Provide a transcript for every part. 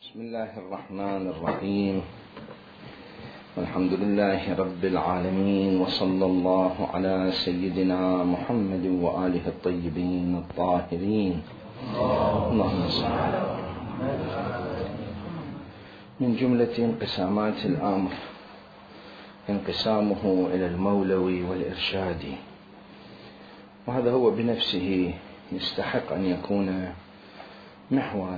بسم الله الرحمن الرحيم. والحمد لله رب العالمين، وصلى الله على سيدنا محمد وآله الطيبين الطاهرين. اللهم صل على محمد. من جملة انقسامات الأمر انقسامه إلى المولوي والإرشادي، وهذا هو بنفسه يستحق أن يكون محورا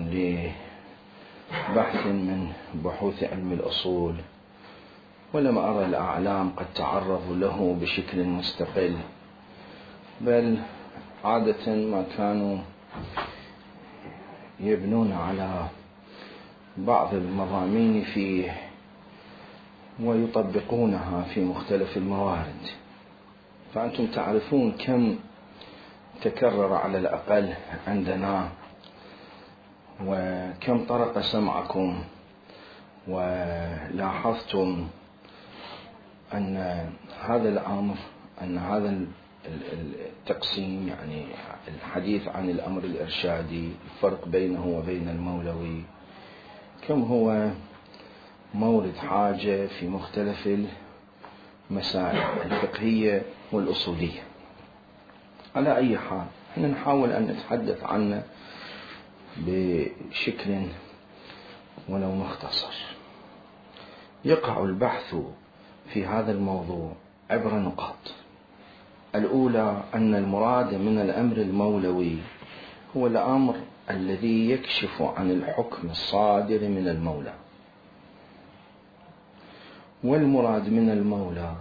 لبحث من بحوث علم الأصول، ولم أرى الأعلام قد تعرضوا له بشكل مستقل، بل عادة ما كانوا يبنون على بعض المضامين فيه ويطبقونها في مختلف الموارد. فأنتم تعرفون كم تكرر على الأقل عندنا، وكم طرق سمعكم، ولاحظتم أن هذا الأمر، أن هذا التقسيم، يعني الحديث عن الأمر الإرشادي، الفرق بينه وبين المولوي، كم هو مورد حاجة في مختلف المسائل الفقهية والأصولية. على أي حال احنا نحاول أن نتحدث عنه بشكل ولو مختصر. يقع البحث في هذا الموضوع عبر نقاط. الأولى أن المراد من الأمر المولوي هو الأمر الذي يكشف عن الحكم الصادر من المولى، والمراد من المولى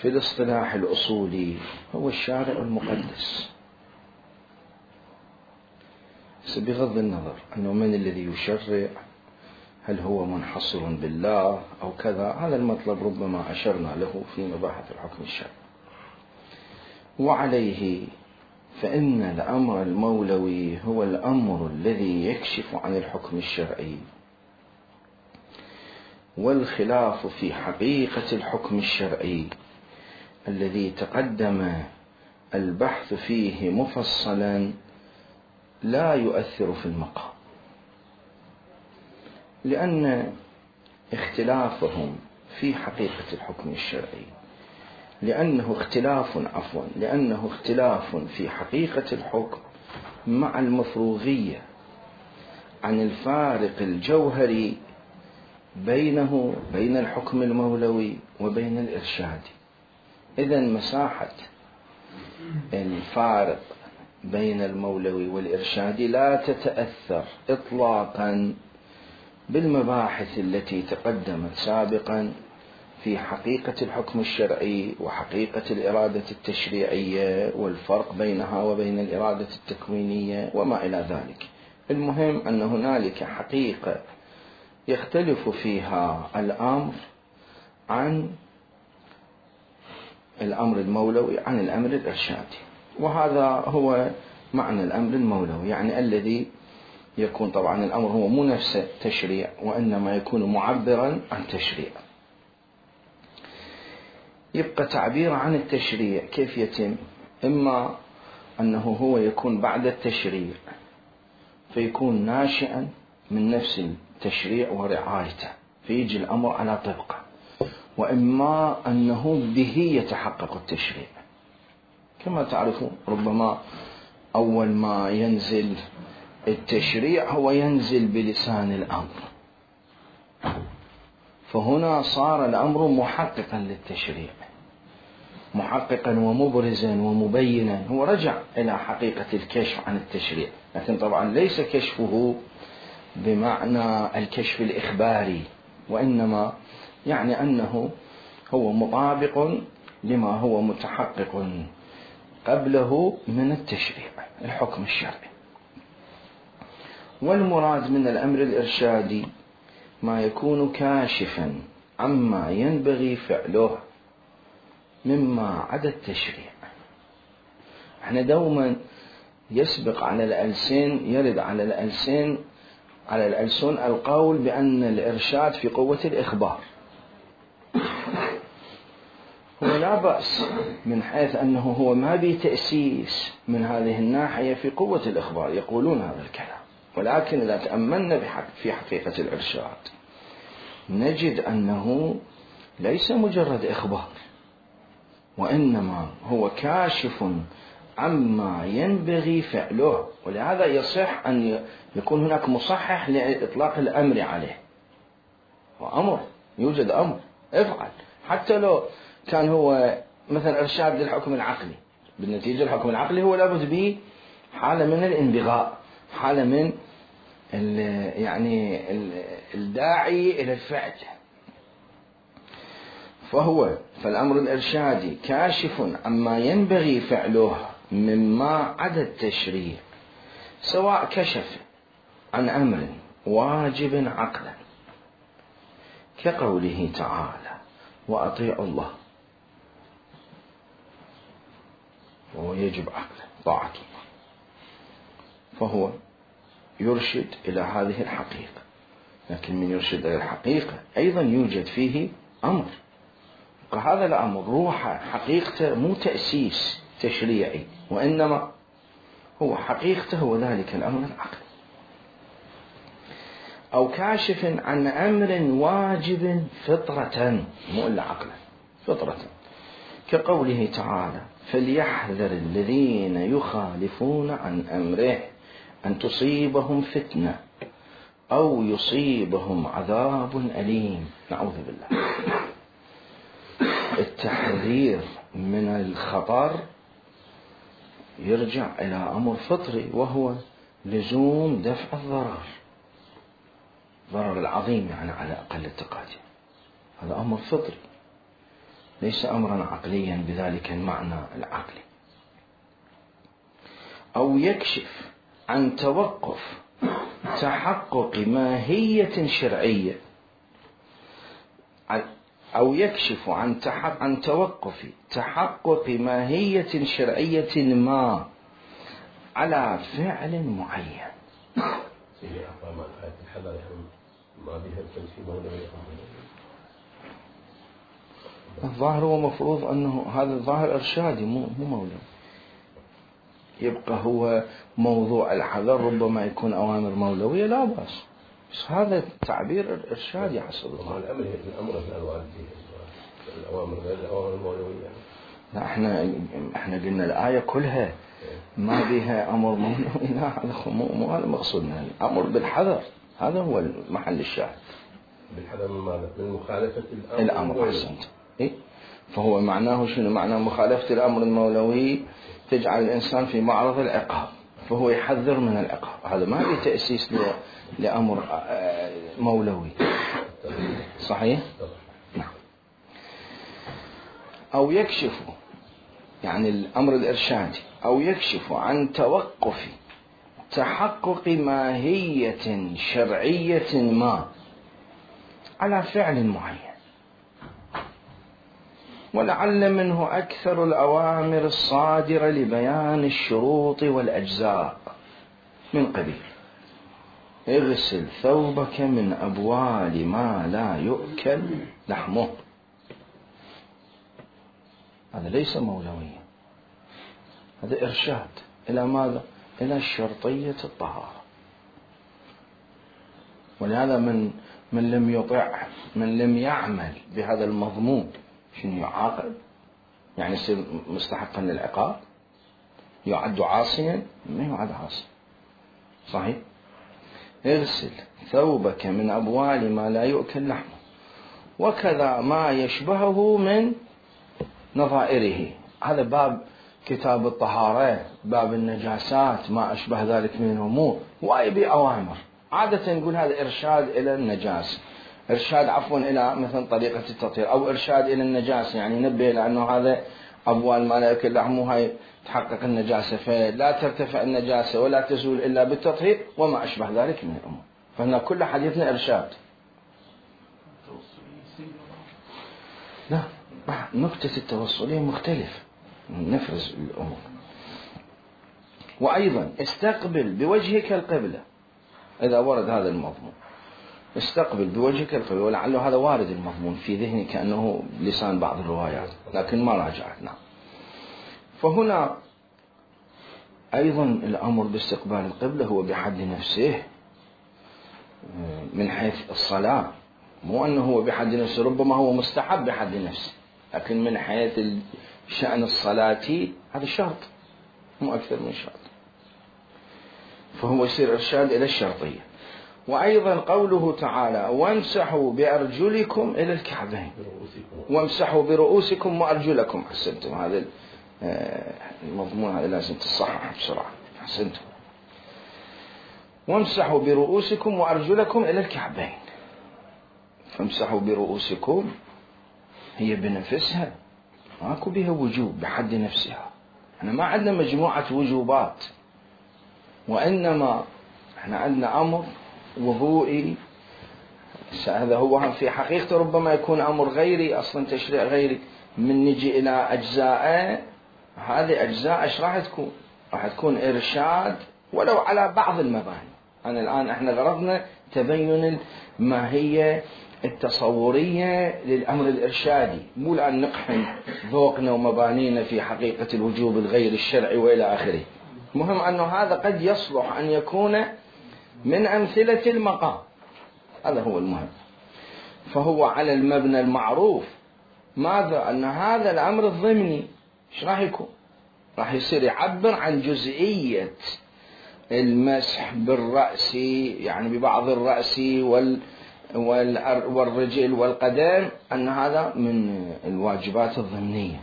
في الاصطلاح الأصولي هو الشارع المقدس، بغض النظر أنه من الذي يشرع، هل هو منحصر بالله أو كذا. هذا المطلب ربما أشرنا له في مباحث الحكم الشرعي. وعليه فإن الأمر المولوي هو الأمر الذي يكشف عن الحكم الشرعي، والخلاف في حقيقة الحكم الشرعي الذي تقدم البحث فيه مفصلا لا يؤثر في المقام، لأن اختلافهم في حقيقة الحكم الشرعي، لأنه اختلاف في حقيقة الحكم مع المفروغية عن الفارق الجوهري بين الحكم المولوي وبين الإرشادي. إذن مساحة الفارق بين المولوي والإرشادي لا تتأثر إطلاقا بالمباحث التي تقدمت سابقا في حقيقة الحكم الشرعي وحقيقة الإرادة التشريعية والفرق بينها وبين الإرادة التكوينية وما إلى ذلك. المهم أن هنالك حقيقة يختلف فيها الأمر عن الأمر المولوي عن الأمر الإرشادي، وهذا هو معنى الأمر المولوي، يعني الذي يكون، طبعا الأمر هو مو نفسه تشريع، وإنما يكون معبرا عن تشريع. يبقى تعبير عن التشريع كيف يتم؟ إما أنه هو يكون بعد التشريع فيكون ناشئا من نفس التشريع ورعايته فيجي الأمر على طبقه، وإما أنه به يتحقق التشريع. كما تعرفون ربما أول ما ينزل التشريع هو ينزل بلسان الأمر، فهنا صار الأمر محققا للتشريع، محققا ومبرزا ومبينا. هو رجع إلى حقيقة الكشف عن التشريع، لكن طبعا ليس كشفه بمعنى الكشف الإخباري، وإنما يعني أنه هو مطابق لما هو متحقق قبله من التشريع الحكم الشرعي. والمراد من الأمر الإرشادي ما يكون كاشفا عما ينبغي فعله مما عدا التشريع. احنا دوما يسبق على الألسن، يرد على الألسن القول بأن الإرشاد في قوة الإخبار. هو لا بأس من حيث أنه هو ما بي تأسيس من هذه الناحية في قوة الإخبار، يقولون هذا الكلام، ولكن إذا تأملنا في حقيقة الإرشاد نجد أنه ليس مجرد إخبار، وإنما هو كاشف عما ينبغي فعله. ولهذا يصح أن يكون هناك مصحح لإطلاق الأمر عليه، وأمر يوجد أمر افعل، حتى لو كان هو مثلا إرشاد للحكم العقلي. بالنتيجة الحكم العقلي هو لابد به حالة من الانبغاء، حالة من يعني الداعي إلى الفعل. فالأمر الإرشادي كاشف عما ينبغي فعله مما عدا التشريع، سواء كشف عن أمر واجب عقلا كقوله تعالى وأطيعوا الله، وهو يجب عقلا طاعة الله، فهو يرشد إلى هذه الحقيقة. لكن من يرشد إلى الحقيقة أيضا يوجد فيه أمر، وهذا الأمر روحه حقيقته مو تأسيس تشريعي، وإنما هو حقيقته هو ذلك الأمر العقلي. أو كاشف عن أمر واجب فطرة، مو إلا عقلا، فطرة، كقوله تعالى فليحذر الذين يخالفون عن أمره أن تصيبهم فتنة أو يصيبهم عذاب أليم. نعوذ بالله. التحذير من الخطر يرجع إلى أمر فطري، وهو لزوم دفع الضرر العظيم، يعني على أقل التقدير. هذا أمر فطري ليس أمرا عقليا بذلك المعنى العقلي. أو يكشف عن توقف تحقق ماهية شرعية، أو يكشف عن توقف تحقق ماهية شرعية ما على فعل معين. الظاهر هو مفروض أنه هذا الظاهر إرشادي مو مولوي، يبقى هو موضوع الحذر ربما يكون أوامر مولوية لا بأس، بس هذا تعبير إرشادي حسب الله. الأمر الأوامر غير الأوامر المولوية. لا احنا قلنا الآية كلها ما بها أمر مولوي، لا هذا مو هذا مقصودنا. الأمر بالحذر هذا هو المحل الشاهد. بالحذر من ماذا؟ من مخالفة الأمر. أحسنت. إيه؟ فهو معناه شنو؟ معناه مخالفة الأمر المولوي تجعل الإنسان في معرض العقاب، فهو يحذر من العقاب. هذا ما في تأسيس لأمر مولوي. صحيح؟ نعم. أو يكشف، يعني الأمر الإرشادي، أو يكشف عن توقف تحقق ماهية شرعية ما على فعل معين، ولعل منه أكثر الأوامر الصادرة لبيان الشروط والأجزاء من قبيل اغسل ثوبك من أبوال ما لا يؤكل لحمه. هذا ليس مولويا، هذا إرشاد إلى ماذا؟ إلى شرطية الطهارة. ولهذا من لم يطع، من لم يعمل بهذا المضمون شنو يعاقب؟ يعني يصير مستحقا للعقاب، يعد عاصيا؟ ما يعد عاصيا. صحيح؟ اغسل ثوبك من أبوال ما لا يؤكل لحمه، وكذا ما يشبهه من نظائره. هذا باب كتاب الطهارة، باب النجاسات، ما أشبه ذلك من الأمور، وأي أوامر. عادة نقول هذا إرشاد إلى النجاسة، إرشاد عفوا إلى مثلا طريقة التطهير، أو إرشاد إلى النجاسة، يعني نبه لأنه هذا أبوال ما لا يؤكل لحمه هاي تحقق النجاسة، فلا ترتفع النجاسة ولا تزول إلا بالتطهير وما أشبه ذلك من الأمور. فهنا كل حديثنا إرشاد. لا، نقطة التوصلية مختلف، نفرز الأمور. وأيضا استقبل بوجهك القبلة، إذا ورد هذا المضمون استقبل بوجهك القبلة، ولعله هذا وارد المضمون في ذهني كأنه لسان بعض الروايات، لكن ما راجعت. نعم. فهنا أيضا الأمر باستقبال القبلة هو بحد نفسه من حيث الصلاة، مو أنه هو بحد نفسه، ربما هو مستحب بحد نفسه، لكن من حيث شأن الصلاة هذا شرط مو أكثر من شرط، فهو يصير إرشاد إلى الشرطية. وأيضا قوله تعالى وامسحوا بأرجلكم إلى الكعبين، وامسحوا برؤوسكم وأرجلكم. حسنتم، هذا المضمون هذا لازم تصحح بسرعة. حسنتم. وامسحوا برؤوسكم وأرجلكم إلى الكعبين. فامسحوا برؤوسكم هي بنفسها ماكو بها وجوب بحد نفسها، احنا ما عندنا مجموعة وجوبات، وإنما احنا عندنا أمر وضوئي. هذا هو في حقيقة ربما يكون أمر غيري، أصلا تشريع غيري. من نجي إلى أجزاء، هذه أجزاء ايش راح تكون؟ راح تكون إرشاد ولو على بعض المباني. أنا الآن احنا غرضنا تبين الماهية التصورية للأمر الإرشادي، مو الآن نقحم ذوقنا ومبانينا في حقيقة الوجوب الغير الشرعي وإلى آخره. مهم أنه هذا قد يصلح أن يكون من أمثلة المقام، هذا هو المهم. فهو على المبنى المعروف، ماذا؟ أن هذا الأمر الضمني إيش راح يكون؟ راح يصير يعبر عن جزئية المسح بالرأس، يعني ببعض الرأس والرجل والقدم، أن هذا من الواجبات الضمنية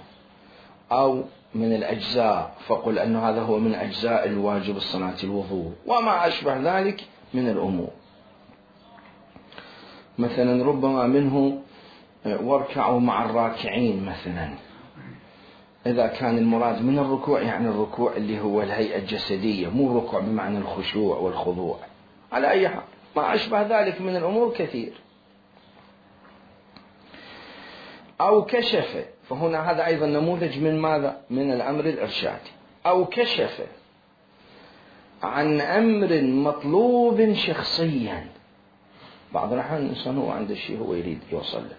أو من الأجزاء، فقل أن هذا هو من أجزاء الواجب الصلاة الوضوء وما أشبه ذلك من الأمور. مثلا ربما منه واركعوا مع الراكعين مثلا، إذا كان المراد من الركوع يعني الركوع اللي هو الهيئة الجسدية، مو الركوع بمعنى الخشوع والخضوع. على أي حال ما أشبه ذلك من الأمور كثير. أو كشف، فهنا هذا أيضا نموذج من ماذا؟ من الأمر الإرشادي. أو كشف عن أمر مطلوب شخصيا. بعض الأحيان الإنسان هو عنده شيء هو يريد يوصل له،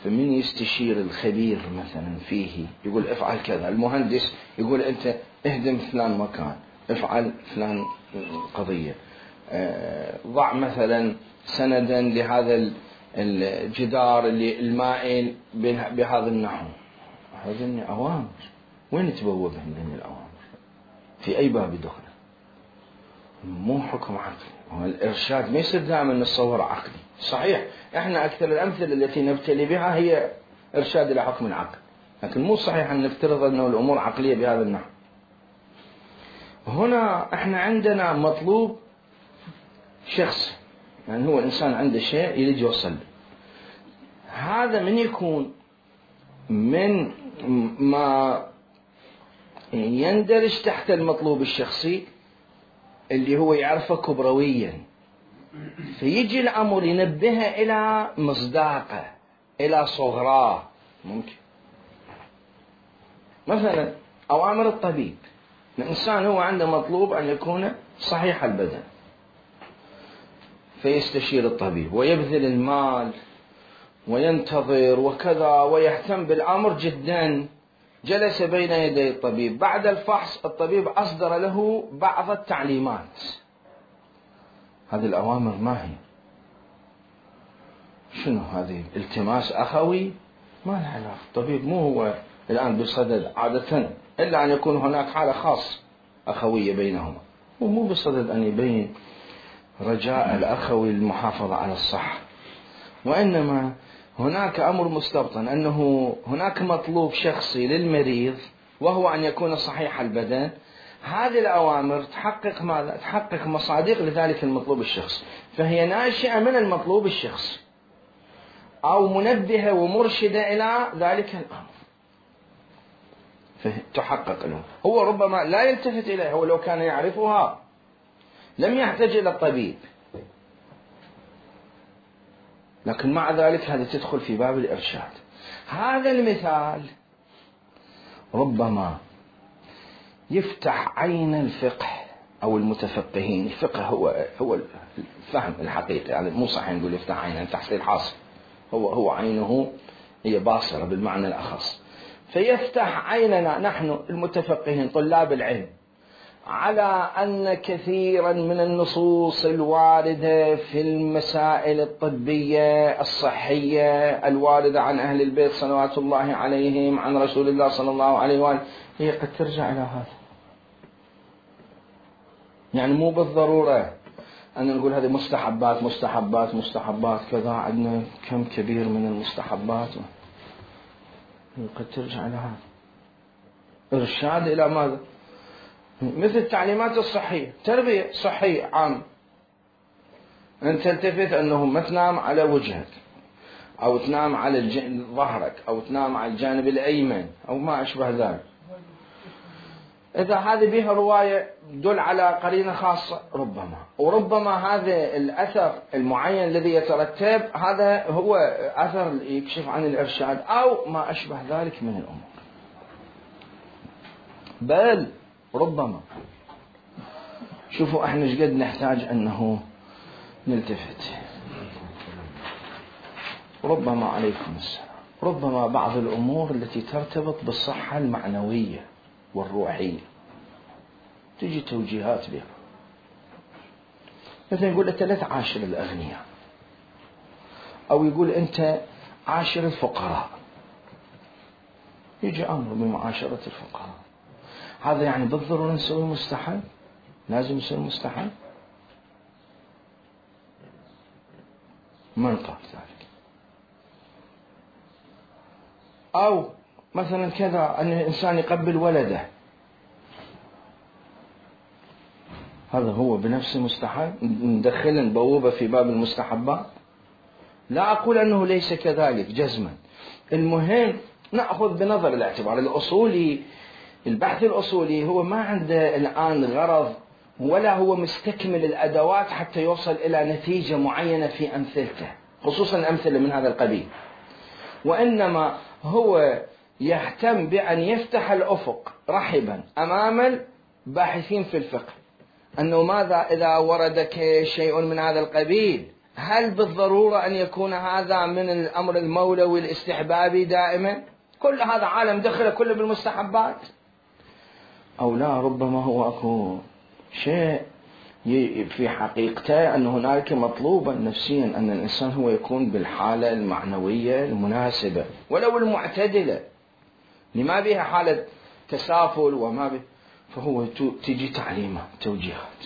فمن يستشير الخبير مثلا فيه يقول افعل كذا، المهندس يقول أنت اهدم فلان مكان، افعل فلان قضية، ضع مثلا سندا لهذا الجدار اللي المائل بهذا النحو. هذه أوامر، وين تبوبها من الأوامر؟ في أي باب دخل؟ مو حكم عقلي. الإرشاد ما يصير دائما نتصور عقلي. صحيح احنا أكثر الأمثلة التي نبتلي بها هي إرشاد إلى حكم العقل، لكن مو صحيح أن نفترض أنه الأمور عقلية بهذا النحو. هنا احنا عندنا مطلوب شخص، يعني هو الإنسان عنده شيء يريد يوصل له. هذا من يكون من ما يندرج تحت المطلوب الشخصي اللي هو يعرفه كبرويا، فيجي الأمر ينبهه إلى مصداقه، إلى صغراه. ممكن مثلا أوامر الطبيب، الإنسان هو عنده مطلوب أن يكون صحيح البدن، فيستشير الطبيب ويبذل المال وينتظر وكذا ويهتم بالأمر جدا. جلس بين يدي الطبيب، بعد الفحص الطبيب أصدر له بعض التعليمات. هذه الأوامر ما هي؟ شنو هذه؟ التماس أخوي؟ ما لها علاقة. الطبيب مو هو الآن بصدد عادة، إلا أن يكون هناك حالة خاصة أخوية بينهما، ومو بصدد أن يبين رجاء الأخوي للمحافظة على الصحة، وإنما هناك أمر مستبطن أنه هناك مطلوب شخصي للمريض وهو أن يكون صحيح البدن. هذه الأوامر تحقق ماذا؟ تحقق مصادق لذلك المطلوب الشخصي، فهي ناشئة من المطلوب الشخصي أو منبهة ومرشدة إلى ذلك الأمر، فتحقق له. هو ربما لا يلتفت إليها، ولو كان يعرفها لم يحتاج إلى الطبيب، لكن مع ذلك هذه تدخل في باب الإرشاد. هذا المثال ربما يفتح عين الفقه أو المتفقهين. الفقه هو الفهم الحقيقي، يعني مو صحيح نقول يفتح عينه، تحصيل حاصل، هو عينه هي باصرة بالمعنى الأخص. فيفتح عيننا نحن المتفقهين طلاب العلم على أن كثيرا من النصوص الواردة في المسائل الطبية الصحية الواردة عن أهل البيت صلوات الله عليهم عن رسول الله صلى الله عليه وآله هي قد ترجع إلى هذا. يعني مو بالضرورة أن نقول هذه مستحبات مستحبات مستحبات كذا، عندنا كم كبير من المستحبات قد ترجع إلى هذا. إرشاد إلى ماذا؟ مثل التعليمات الصحية، تربية صحية عام، أن تلتفت أنه ما تنام على وجهك أو تنام على ظهرك أو تنام على الجانب الأيمن أو ما أشبه ذلك. إذا هذه بها رواية دل على قرينة خاصة ربما، وربما هذا الأثر المعين الذي يترتب هذا هو أثر يكشف عن الإرشاد أو ما أشبه ذلك من الأمور. بل ربما شوفوا احنا ايش قد نحتاج انه نلتفت. ربما عليكم السلام، ربما بعض الامور التي ترتبط بالصحة المعنوية والروحية تجي توجيهات بها. مثلا يقول انت لا تعاشر الاغنياء، او يقول انت عاشر الفقراء، يجي امر بمعاشرة الفقراء. هذا يعني بالضرورة نسوي مستحب؟ لازم نسوي مستحب؟ من قال ذلك؟ أو مثلا كذا أن الإنسان يقبل ولده، هذا هو بنفسه مستحب؟ ندخل نبوبة في باب المستحبات؟ لا أقول أنه ليس كذلك جزما، المهم نأخذ بنظر الاعتبار الأصولي. البحث الأصولي هو ما عنده الآن غرض ولا هو مستكمل الأدوات حتى يوصل إلى نتيجة معينة في أمثلته، خصوصا أمثلة من هذا القبيل، وإنما هو يهتم بأن يفتح الأفق رحبا أمام الباحثين في الفقه، أنه ماذا إذا وردك شيء من هذا القبيل، هل بالضرورة أن يكون هذا من الأمر المولوي الاستحبابي دائما؟ كل هذا عالم دخل كله بالمستحبات، أو لا ربما هو أكو شيء في حقيقته أن هناك مطلوبا نفسيا أن الإنسان هو يكون بالحالة المعنوية المناسبة ولو المعتدلة، لما بها حالة تسافل وما به، فهو تجي تعليمات توجيهات،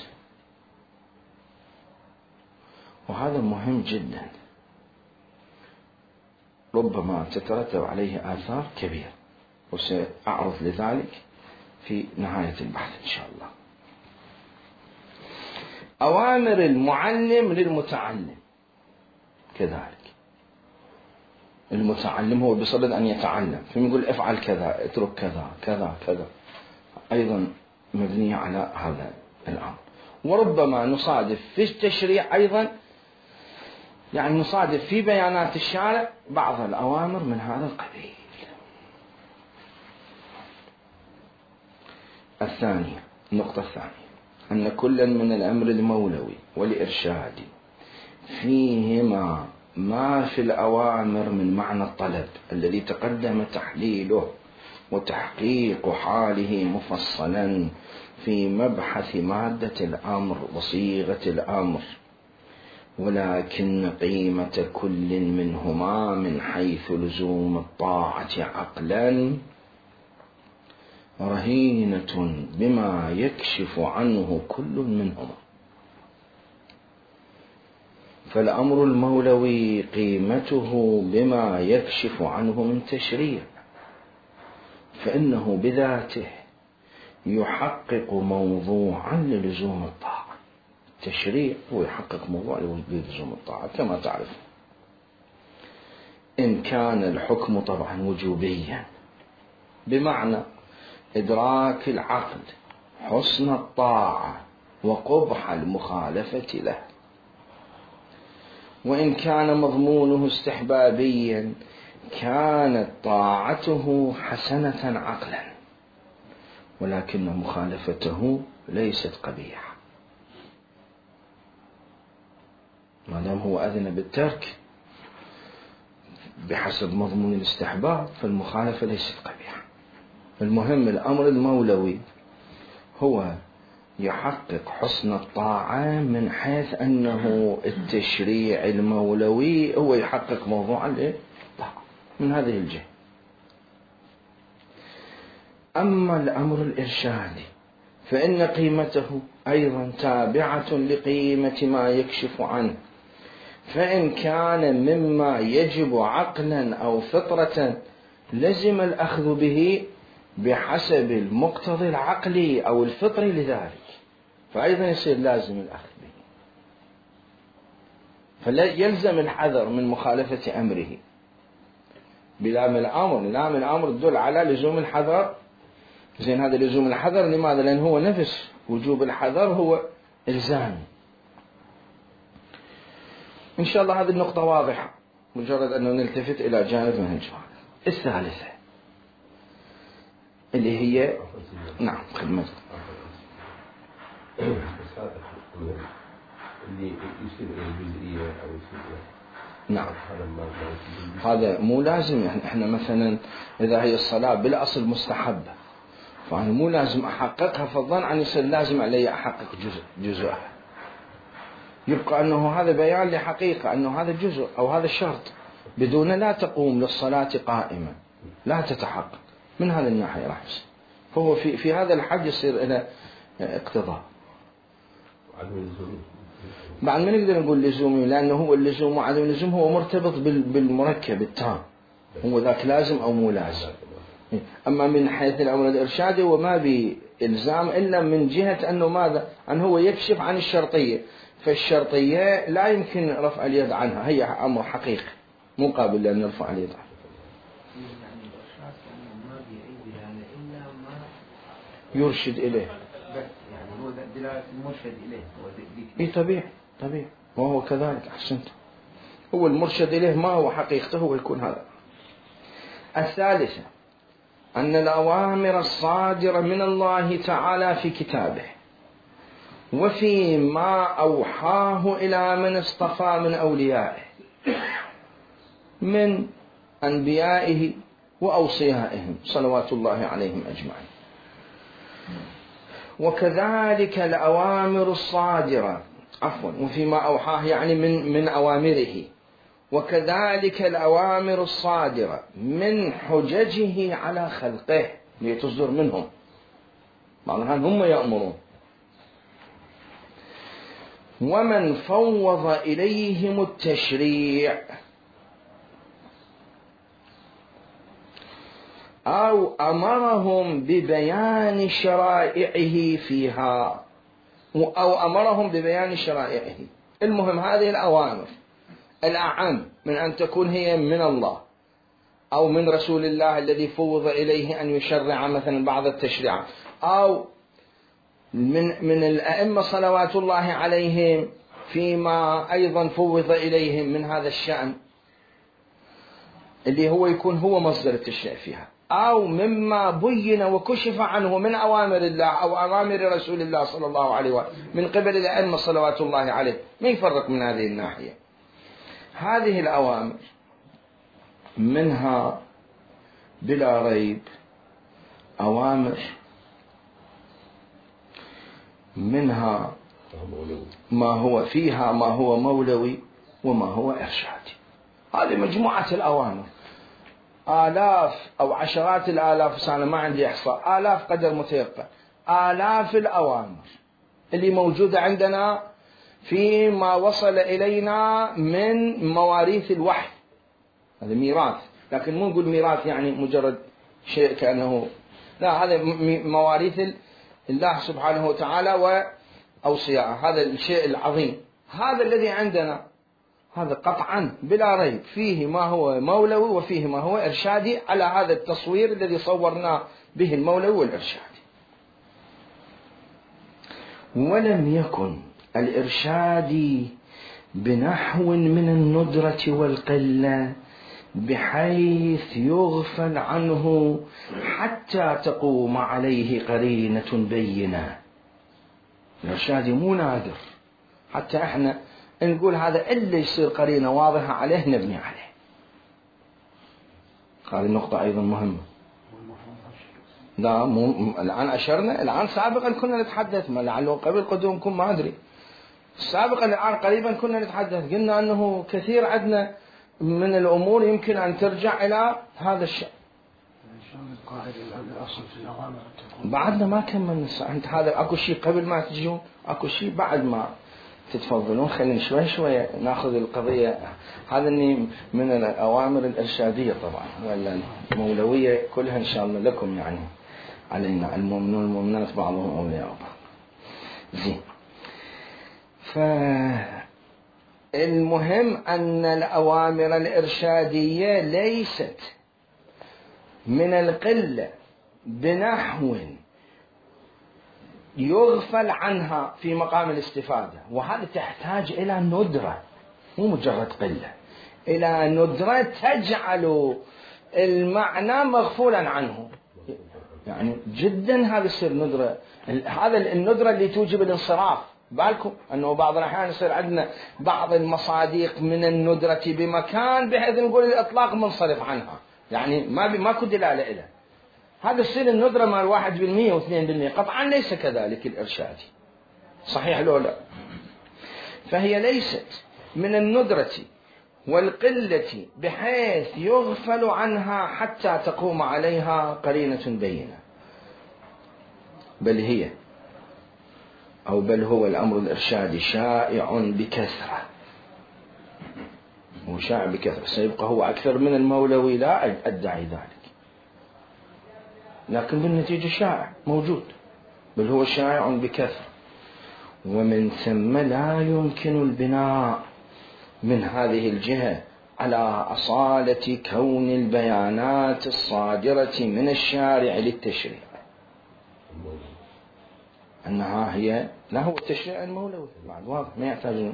وهذا مهم جدا ربما تترتب عليه آثار كبيرة، وسأعرض لذلك في نهاية البحث إن شاء الله. أوامر المعلم للمتعلم كذلك. المتعلم هو بصدد أن يتعلم، فيقول افعل كذا اترك كذا كذا كذا، أيضا مبنية على هذا الأمر. وربما نصادف في التشريع أيضا، يعني نصادف في بيانات الشارع بعض الأوامر من هذا القبيل. الثانية، النقطة الثانية، أن كلا من الأمر المولوي والإرشادي فيهما ما في الأوامر من معنى الطلب الذي تقدم تحليله وتحقيق حاله مفصلا في مبحث مادة الأمر وصيغة الأمر، ولكن قيمة كل منهما من حيث لزوم الطاعة عقلا رهينة بما يكشف عنه كل منهما. فالأمر المولوي قيمته بما يكشف عنه من تشريع، فإنه بذاته يحقق موضوعا للزوم الطاعة. التشريع هو يحقق موضوع للزوم الطاعة كما تعرف، إن كان الحكم طبعا وجوبيا بمعنى إدراك العقل حسن الطاعة وقبح المخالفة له، وإن كان مضمونه استحبابيا كانت طاعته حسنة عقلا ولكن مخالفته ليست قبيحة، ما دام هو أذن بالترك بحسب مضمون الاستحباب فالمخالفة ليست قبيحة. المهم الأمر المولوي هو يحقق حسن الطاعة من حيث أنه التشريع المولوي هو يحقق موضوع الطاعة من هذه الجهة. أما الأمر الإرشادي فإن قيمته أيضا تابعة لقيمة ما يكشف عنه، فإن كان مما يجب عقلا أو فطرة لزم الأخذ به بحسب المقتضى العقلي أو الفطري لذلك، فأيضا يصير لازم الأخذ به، فلا يلزم الحذر من مخالفة أمره. بلام الأمر، لام الأمر تدل على لزوم الحذر. زين، هذا لزوم الحذر لماذا؟ لأن هو نفس وجوب الحذر هو إلزام. إن شاء الله هذه النقطة واضحة، مجرد أنه نلتفت إلى جانب من الجوانب. الثالثة اللي هي نعم خدمتك. اللي يصير الجزئية أو يصير نعم هذا مو لازم. احنا مثلا إذا هي الصلاة بالأصل مستحبة، فأنا مو لازم أحققها في الظن أن يصير لازم علي أحقق جزءها. يبقى أنه هذا بيان لحقيقة أنه هذا جزء أو هذا الشرط، بدون لا تقوم للصلاة قائمة، لا تتحقق. من هذا الناحية راح يصير، فهو في هذا الحد يصير إلى اقتضاء. بعد ما نقدر نقول لزومي، لأنه هو اللزوم وعدم اللزوم هو مرتبط بالمركب التام، هو ذاك لازم أو مو لازم. أما من حيث الأمر الإرشادي وما بإلزام إلا من جهة أنه ماذا؟ أنه هو يكشف عن الشرطية، فالشرطية لا يمكن رفع اليد عنها، هي أمر حقيقي مو قابل لأن نرفع اليد عنها. يرشد إليه، يعني هو دلالة المرشد إليه. إيه طبيعي وهو كذلك. أحسنت، هو المرشد إليه ما هو حقيقته هو يكون هذا. الثالثة أن الأوامر الصادرة من الله تعالى في كتابه وفيما أوحاه إلى من اصطفى من أوليائه من أنبيائه وأوصيائهم صلوات الله عليهم أجمعين، وكذلك الأوامر الصادرة وفيما أوحاه يعني من أوامره، وكذلك الأوامر الصادرة من حججه على خلقه لتصدر منهم، معناها هم يأمرون. ومن فوض إليهم التشريع أو أمرهم ببيان شرائعه فيها، أو أمرهم ببيان شرائعه. المهم هذه الأوامر الأعم من أن تكون هي من الله أو من رسول الله الذي فوض إليه أن يشرع مثلا بعض التشريعات، أو من الأئمة صلوات الله عليهم فيما أيضا فوض إليهم من هذا الشأن اللي هو يكون هو مصدر التشريع فيها، أو مما بين وكشف عنه من أوامر الله أو أوامر رسول الله صلى الله عليه وسلم من قبل الأئمة صلوات الله عليه. ما يفرق من هذه الناحية. هذه الأوامر منها بلا ريب أوامر منها ما هو فيها ما هو مولوي وما هو إرشادي. هذه مجموعة الأوامر، آلاف أو عشرات الآلاف، أنا ما عندي إحصاء، آلاف قدر متيقن، آلاف الأوامر اللي موجودة عندنا فيما وصل إلينا من مواريث الوحي. هذا ميراث، لكن مو نقول ميراث يعني مجرد شيء كأنه، لا، هذا مواريث الله سبحانه وتعالى وأوصياءه، هذا الشيء العظيم. هذا الذي عندنا هذا قطعا بلا ريب فيه ما هو مولوي وفيه ما هو إرشادي، على هذا التصوير الذي صورناه به المولوي والإرشادي. ولم يكن الإرشادي بنحو من الندرة والقلة بحيث يغفل عنه حتى تقوم عليه قرينة بينة. الإرشادي مو نادر، حتى احنا نقول هذا إلا يصير قرينة واضحة عليه نبني عليه. هذه النقطة أيضا مهمة. لا مو الآن أشرنا، الآن سابقا كنا نتحدث، ما لعله قبل قدومكم ما أدري، سابقا الآن قريبا كنا نتحدث، قلنا أنه كثير عندنا من الأمور يمكن أن ترجع إلى هذا الشيء. بعدنا ما كملنا أنت هذا، أكو شيء قبل ما تجون، أكو شيء بعد ما تتفضلون. خلينا شوي شوي ناخذ القضية. هذا من الأوامر الإرشادية طبعا، ولا المولوية كلها إن شاء الله لكم، يعني علينا المؤمنون والمؤمنات بعضهم أولياء بعض. زين. فالمهم أن الأوامر الإرشادية ليست من القلة بنحو يغفل عنها في مقام الاستفادة، وهذا تحتاج إلى ندرة، مو مجرد قلة، إلى ندرة تجعل المعنى مغفولا عنه. يعني جدا هذا يصير ندرة، هذا الندرة اللي توجب الانصراف. بالكم أنه بعض الأحيان يصير عندنا بعض المصادق من الندرة بمكان بحيث نقول الإطلاق منصرف عنها، يعني ماكو دلالة إليه. هذا يصير الندرة مال 1% و2%، قطعا ليس كذلك الإرشادي، صحيح لو لا؟ فهي ليست من الندرة والقلة بحيث يغفل عنها حتى تقوم عليها قرينة بينة، بل هو الأمر الإرشادي شائع بكثرة، وشائع بكثرة، سيبقى هو أكثر من المولوي، لا أدعي ذلك، لكن بالنتيجة شائع موجود، بل هو شائع بكثرة. ومن ثم لا يمكن البناء من هذه الجهة على أصالة كون البيانات الصادرة من الشارع للتشريع أنها هي، لا هو التشريع المولوي بعد واضح ما يحتاج،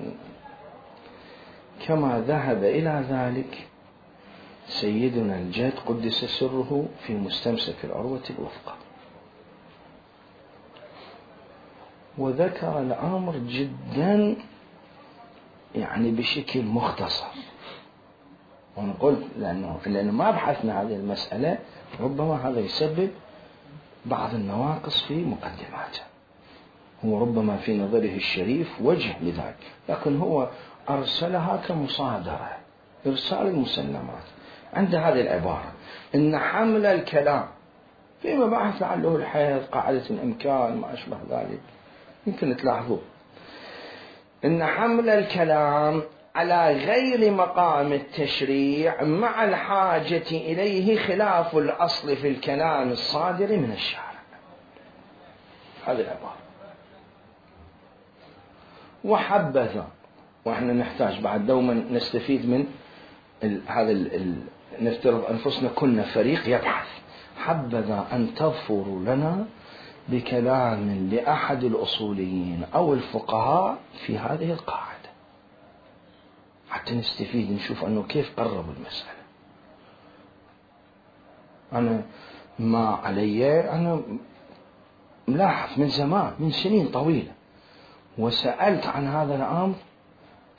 كما ذهب إلى ذلك سيدنا الجد قدس سره في مستمسك العروة الوثقى، وذكر الأمر جدا يعني بشكل مختصر. ونقول لأنه ما بحثنا هذه المسألة، ربما هذا يسبب بعض النواقص في مقدماته، هو ربما في نظره الشريف وجه لذلك، لكن هو أرسلها كمصادرة، إرسال المسلمات. عند هذه العبارة إن حمل الكلام في مباحث لعله الحيض، قاعدة الإمكان، ما أشبه ذلك، يمكن تلاحظوا إن حمل الكلام على غير مقام التشريع مع الحاجة إليه خلاف الأصل في الكلام الصادر من الشارع. هذه العبارة. وحبذا، وإحنا نحتاج بعد دوما نستفيد من هذا نفترض أنفسنا كنا فريق يبحث، حبذا أن تظفروا لنا بكلام لأحد الأصوليين أو الفقهاء في هذه القاعدة حتى نستفيد، نشوف أنه كيف قربوا المسألة. أنا ما علي، أنا ملاحظ من زمان، من سنين طويلة، وسألت عن هذا الأمر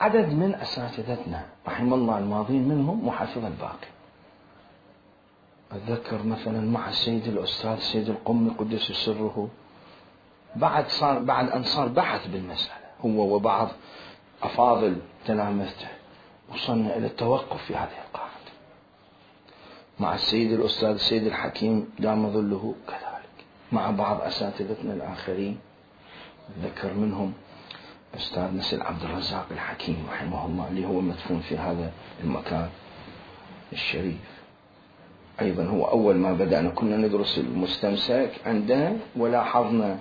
عدد من أساتذتنا رحم الله الماضين، منهم محافظ الباقي. أتذكر مثلا مع السيد الأستاذ السيد القمي قدس سره، بعد أن صار بحث بالمسألة هو وبعض أفاضل تلامذته، وصلنا إلى التوقف في هذه القاعدة. مع السيد الأستاذ السيد الحكيم دام ظله كذلك، مع بعض أساتذتنا الآخرين، أتذكر منهم أستاذ نسل عبد الرزاق الحكيم رحمه الله، اللي هو مدفون في هذا المكان الشريف. أيضا هو أول ما بدأنا كنا ندرس المستمسك عندنا، ولاحظنا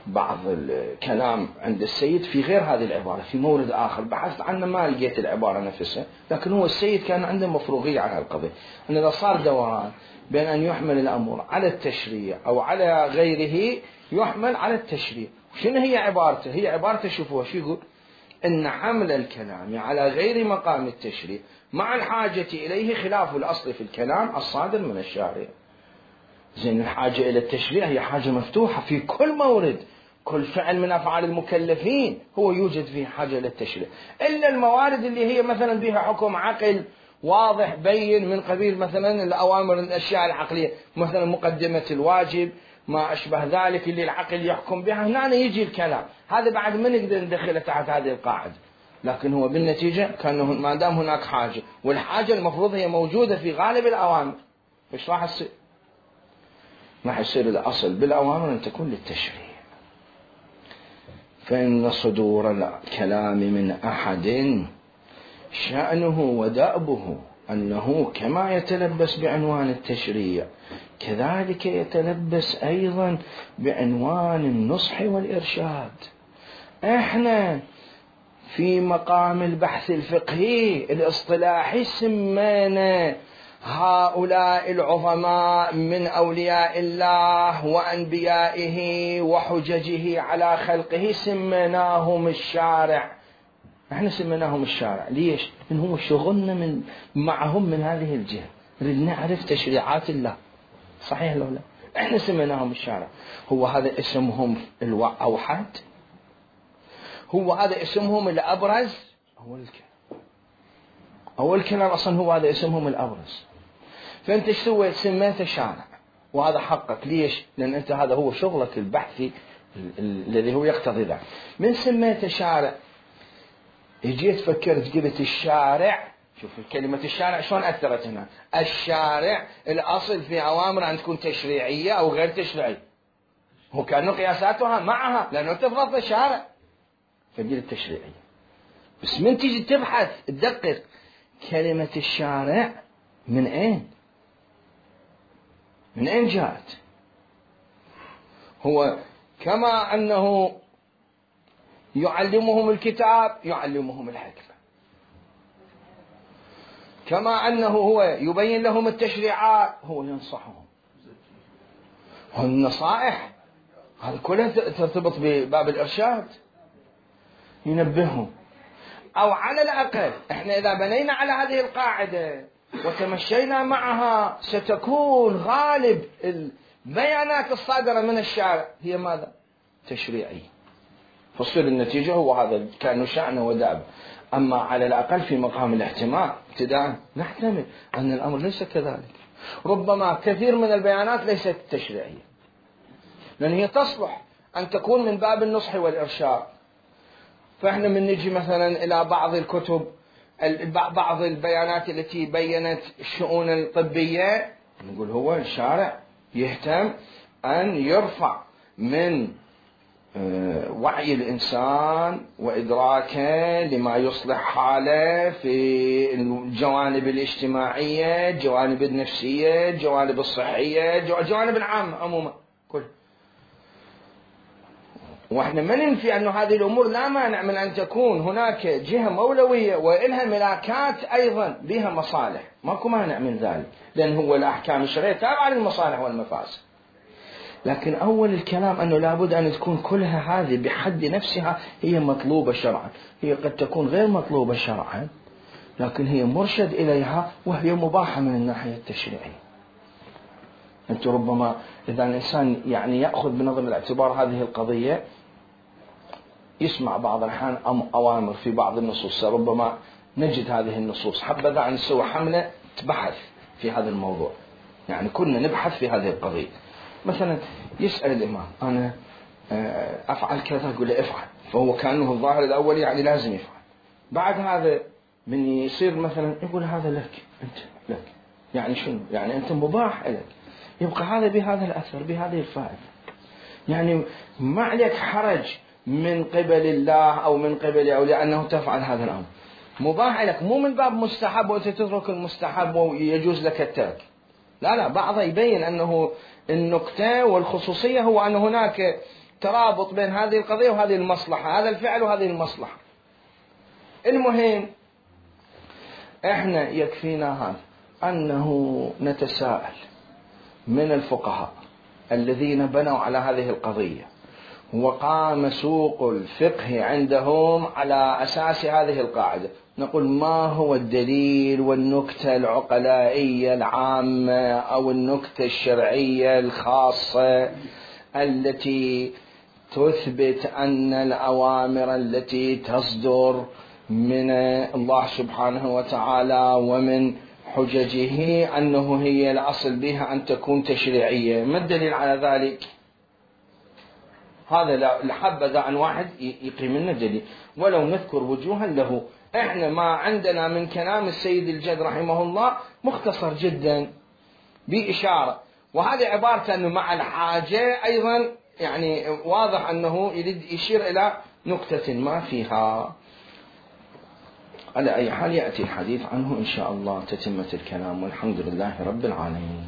بعض الكلام عند السيد في غير هذه العبارة في مورد آخر، بحثت عنه ما لقيت العبارة نفسها، لكن هو السيد كان عنده مفروغية على القضية، أن إذا صار دوران بين أن يحمل الأمر على التشريع أو على غيره، يحمل على التشريع. شنو هي عبارته؟ هي عبارته شوفوها شو يقول: إن حمل الكلام على غير مقام التشريع مع الحاجة إليه خلاف الأصل في الكلام الصادر من الشارع. زين، الحاجة إلى التشريع هي حاجة مفتوحة في كل مورد، كل فعل من أفعال المكلفين هو يوجد فيه حاجة إلى التشريع، إلا الموارد اللي هي مثلا بها حكم عقل واضح بين، من قبيل مثلا الأوامر الأشياء العقلية، مثلا مقدمة الواجب، ما أشبه ذلك اللي العقل يحكم بها، هنا يجي الكلام هذا بعد ما نقدر ندخله تحت هذه القاعدة. لكن هو بالنتيجة كأنه ما دام هناك حاجة، والحاجة المفروض هي موجودة في غالب الأوامر، إيش راح يصير؟ راح يصير الأصل بالأوامر أن تكون للتشريع. فإن صدور الكلام من أحد شأنه ودأبه أنه كما يتلبس بعنوان التشريع كذلك يتلبس أيضا بعنوان النصح والإرشاد. إحنا في مقام البحث الفقهي الاصطلاحي سمينا هؤلاء العظماء من أولياء الله وأنبيائه وحججه على خلقه سميناهم الشارع. احنا سميناهم الشارع ليش؟ إن هو شغلنا معهم من هذه الجهة، نريد نعرف تشريعات الله، صحيح لو لا؟ احنا سميناهم الشارع. هو هذا اسمهم الأوحد؟ هو هذا اسمهم الأبرز؟ أول كلام أصلا هو هذا اسمهم الأبرز. فأنت ايش سويت؟ سميته شارع، وهذا حقك. ليش؟ لأن أنت هذا هو شغلك البحثي الذي هو يقتضي ذلك. من سميته شارع جيت فكرت قلت الشارع، شوف كلمة الشارع شلون أثرت هنا. الشارع الأصل في أوامر أن تكون تشريعية أو غير تشريعية، هو كأنه قياساتها معها لأنه تفرض الشارع فقلت تشريعية. بس من تيجي تبحث تدقق كلمة الشارع من أين؟ من أين جاءت؟ هو كما أنه يعلمهم الكتاب يعلمهم الحكمة، كما أنه هو يبين لهم التشريعات هو ينصحهم. والنصائح هذا كلها ترتبط بباب الإرشاد، ينبههم. أو على الأقل إحنا إذا بنينا على هذه القاعدة وتمشينا معها ستكون غالب البيانات الصادرة من الشارع هي ماذا؟ تشريعية. فصير النتيجة هو هذا كأنه شأنه وداب. أما على الأقل في مقام الاحتمال ابتداء نحتمل أن الأمر ليس كذلك. ربما كثير من البيانات ليست تشريعية، لأن هي تصلح أن تكون من باب النصح والإرشاد. فإحنا من نجي مثلا إلى بعض الكتب بعض البيانات التي بيّنت الشؤون الطبية نقول هو الشارع يهتم أن يرفع من وعي الإنسان وإدراكه لما يصلح حاله في الجوانب الاجتماعية، الجوانب النفسية، الجوانب الصحية، الجوانب العامة عموما كل. وإحنا ما ننفي أن هذه الأمور لا مانع من أن تكون هناك جهة مولوية وإلها ملاكات أيضا بها مصالح، ماكو مانع من ذلك، لأن هو الأحكام الشرعية تابعة للمصالح والمفاسد. لكن أول الكلام أنه لابد أن تكون كلها هذه بحد نفسها هي مطلوبة شرعا. هي قد تكون غير مطلوبة شرعا لكن هي مرشد إليها وهي مباحة من الناحية التشريعية. أنت ربما إذا الإنسان يعني يأخذ بنظر الاعتبار هذه القضية يسمع بعض الأحيان أوامر في بعض النصوص، ربما نجد هذه النصوص حبذا أن نسوي حملة تبحث في هذا الموضوع، يعني كنا نبحث في هذه القضية. مثلا يسأل الإمام أنا أفعل كذا، يقول له افعل، فهو كأنه الظاهر الأول يعني لازم يفعل. بعد هذا من يصير مثلا يقول هذا لك أنت لك، يعني شنو؟ يعني أنت مباح لك، يبقى هذا بهذا الأثر بهذه الفائدة، يعني ما عليك حرج من قبل الله أو من قبل أولياء أنه تفعل هذا الأمر، مباح لك، مو من باب مستحب وأنت تترك المستحب ويجوز لك الترك. لا بعض يبين أنه النقطة والخصوصية هو أن هناك ترابط بين هذه القضية وهذه المصلحة، هذا الفعل وهذه المصلحة. المهم إحنا يكفينا هذا أنه نتساءل من الفقهاء الذين بنوا على هذه القضية وقام سوق الفقه عندهم على أساس هذه القاعدة، نقول ما هو الدليل والنكتة العقلائية العامة أو النكتة الشرعية الخاصة التي تثبت أن الأوامر التي تصدر من الله سبحانه وتعالى ومن حججه أنه هي الأصل بها أن تكون تشريعية. ما الدليل على ذلك؟ هذا لحبذا عن واحد يقيم لنا دليل، ولو نذكر وجوها له. احنا ما عندنا من كلام السيد الجد رحمه الله مختصر جدا بإشارة، وهذه عبارة أنه مع الحاجة أيضا يعني واضح أنه يريد يشير إلى نقطة ما فيها. على أي حال يأتي الحديث عنه إن شاء الله تتمة الكلام، والحمد لله رب العالمين.